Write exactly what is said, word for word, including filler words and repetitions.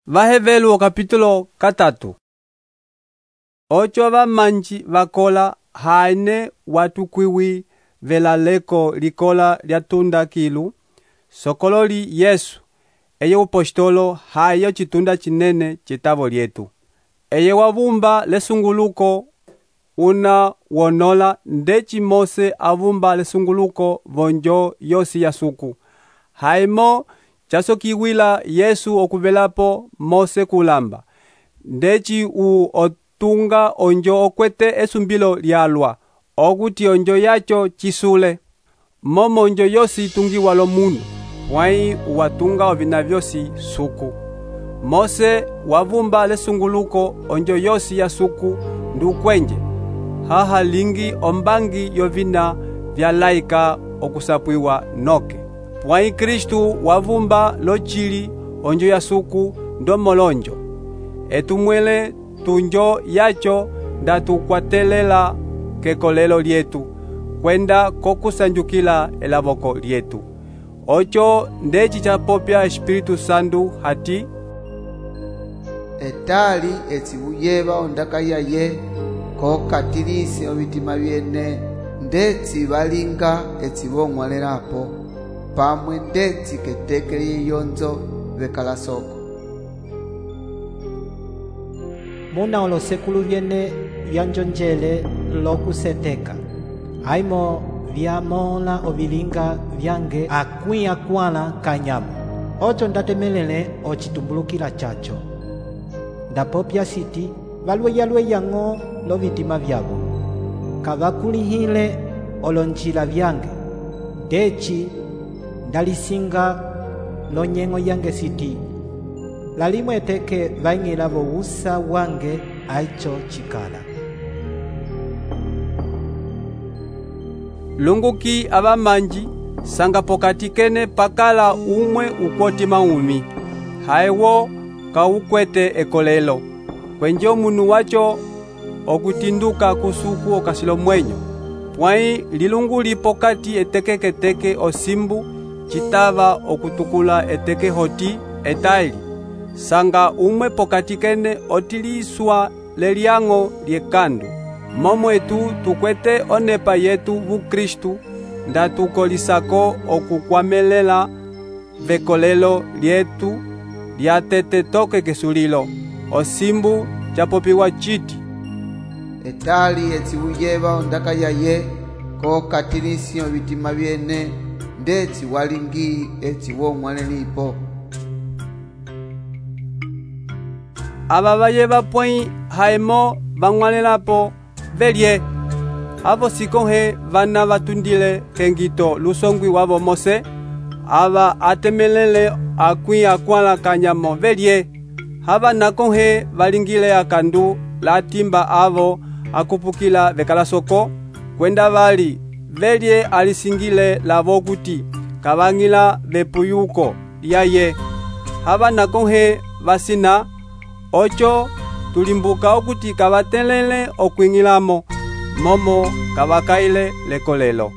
Vahevelu capítulo katatu. Ocho vamanji vakola haine watukwiwi velaleko likola lyatunda kilu sokololi Yesu eye upostolo hayo chitunda chinene chitavo lyetu. Eye wavumba lesunguluko una wonola ndeci Mose avumba lesunguluko vonjo yosi ya suku. Haimo chasokiwila Yesu okuvelapo Mose kulamba. Ndeci u otunga onjo okwete esumbilo lyalwa, okuti onjo yacho chisule. Momo onjo yosi tungiwa lo munu, wai uwatunga ovina vyosi suku. Mose wavumba lesunguluko onjo yosi ya suku ndukwenje. Haha lingi ombangi yovina vyalaika okusapwiwa noke. Pwai Kristu wavumba lochili onjo ya suku ndomolonjo. Etumwele tunjo yacho ndatukwatelela kekolelo lyetu, kwenda kokusanjukila elavoko lyetu. Ocho ndeci chapopya Espiritu Sandu hati, etali etsiwuyeva ondaka yaye kokatilisi ovitima vyene ndetsi valinga etsivong'walelapo pamwe ndetsi ketekele yeyonzo vekala soko. Muna olosekulu vyene vyanjonjele lokuseteka aimo vyamola ovilinga vyange akwi akwala kanyamo. Ocho ndatemelele ochitumbulukila chacho. Ndapopya siti valweyalweyang'o lovitima vyavo kavakulihile olonjila vyange. Ndeci ndalisinga lonyeng'o yange siti lalimwe eteke vaing'ila vowusa wange aicho chikala. Lunguki avamanji sanga pokati kene pakala umwe ukoti maumi. Haiwo kawukwete ekolelo. Kwenjo munu wacho okutinduka kusuku okasilo mwenyo. Pwai lilungu lipokati eteke keteke osimbu chitava okutukula eteke hoti etaili. Sanga umwe pokati kene otiliswa leliang'o lyekandu. Momo etu tukwete onepa yetu vu Kristu ndatukolisako okukwamelela vekolelo lyetu lyatete toke kesulilo. Osimbu chapopiwa chiti, etali etsiwuyeva ondaka yaye kokatilisi ovitima vyene ndetsi walingi etsiwong'walelipo. Ava vayeva pwai haimo vang'walelapo velye. Avo sikonhe vana vatundile kengito lusongwi wavo Mose. Ava atemelele akwi akwala kanyamo velye. Hava nakonhe valingile akandu latimba avo akupukila vekala soko. Kwenda vali velye alisingile lavo kuti kavang'ila vepuyuko yaye. Hava nakonhe vasina. Ocho tulimbuka okuti kavatelele okwing'ilamo momo kavakaile lekolelo.